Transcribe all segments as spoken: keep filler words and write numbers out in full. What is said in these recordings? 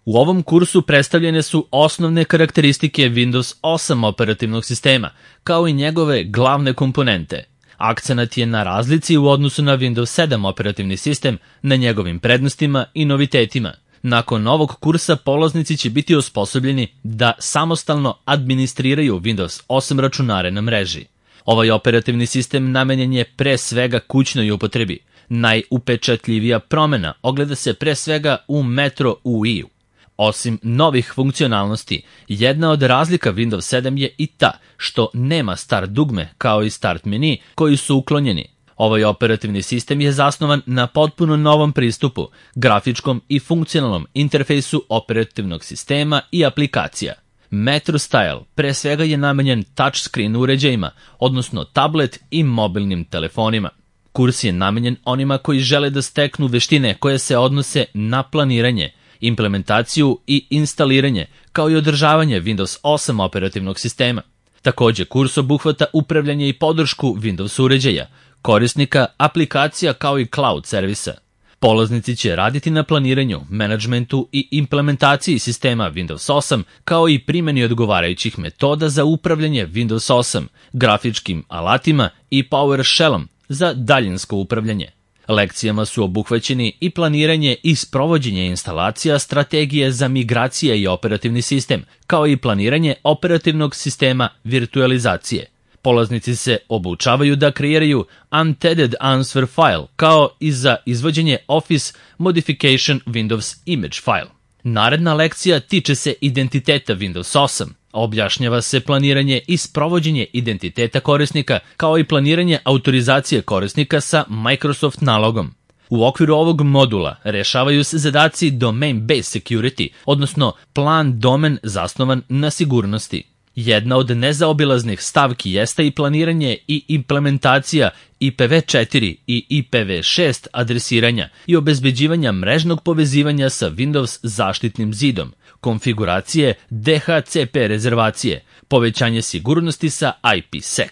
U ovom kursu predstavljene su osnovne karakteristike Windows osam operativnog sistema, kao i njegove glavne komponente. Akcenat je na razlici u odnosu na Windows sedam operativni sistem, na njegovim prednostima i novitetima. Nakon ovog kursa polaznici će biti osposobljeni da samostalno administriraju Windows osam računare na mreži. Ovaj operativni sistem namenjen je pre svega kućnoj upotrebi. Najupečatljivija promena ogleda se pre svega u Metro U I-u. Osim novih funkcionalnosti, jedna od razlika Windows sedam je i ta što nema start dugme kao i start meni koji su uklonjeni. Ovaj operativni sistem je zasnovan na potpuno novom pristupu, grafičkom i funkcionalnom interfejsu operativnog sistema i aplikacija. Metro Style pre svega je namenjen touchscreen uređajima, odnosno tablet i mobilnim telefonima. Kurs je namenjen onima koji žele da steknu veštine koje se odnose na planiranje, implementaciju i instaliranje, kao i održavanje Windows osam operativnog sistema. Takođe, kurs obuhvata upravljanje i podršku Windows uređaja, korisnika, aplikacija kao i cloud servisa. Polaznici će raditi na planiranju, menadžmentu i implementaciji sistema Windows osam, kao i primjeni odgovarajućih metoda za upravljanje Windows osam, grafičkim alatima i PowerShellom za daljinsko upravljanje. Lekcijama su obuhvaćeni i planiranje i sprovođenje instalacija strategije za migracije i operativni sistem, kao i planiranje operativnog sistema virtualizacije. Polaznici se obučavaju da kreiraju Untethered Answer file, kao i za izvođenje Office Modification Windows Image file. Naredna lekcija tiče se identiteta Windows osam. Objašnjava se planiranje i sprovođenje identiteta korisnika, kao i planiranje autorizacije korisnika sa Microsoft nalogom. U okviru ovog modula rešavaju se zadaci Domain Based Security, odnosno plan domen zasnovan na sigurnosti. Jedna od nezaobilaznih stavki jeste i planiranje i implementacija I P v četiri i I P v šest adresiranja i obezbeđivanja mrežnog povezivanja sa Windows zaštitnim zidom, konfiguracije D H C P rezervacije, povećanje sigurnosti sa I P sec.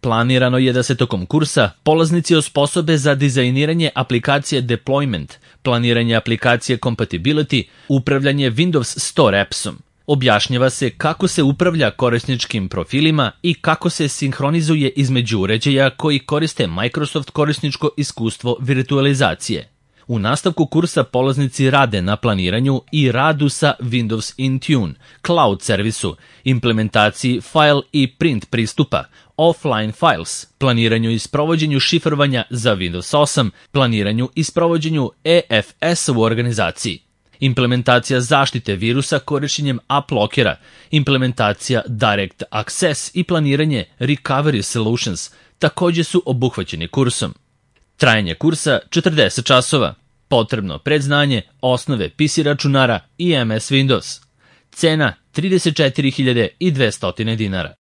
Planirano je da se tokom kursa polaznici osposobe za dizajniranje aplikacije deployment, planiranje aplikacije compatibility, upravljanje Windows Store appsom. Objašnjava se kako se upravlja korisničkim profilima i kako se sinhronizuje između uređaja koji koriste Microsoft korisničko iskustvo virtualizacije. U nastavku kursa polaznici rade na planiranju i radu sa Windows Intune, cloud servisu, implementaciji file i print pristupa, offline files, planiranju i sprovođenju šifrovanja za Windows osam, planiranju i sprovođenju E F S u organizaciji. Implementacija zaštite virusa korišćenjem AppLockera, implementacija Direct Access i planiranje Recovery Solutions takođe su obuhvaćeni kursom. Trajanje kursa četrdeset časova. Potrebno predznanje, osnove P C računara i M S Windows. Cena trideset četiri hiljade dvesta dinara.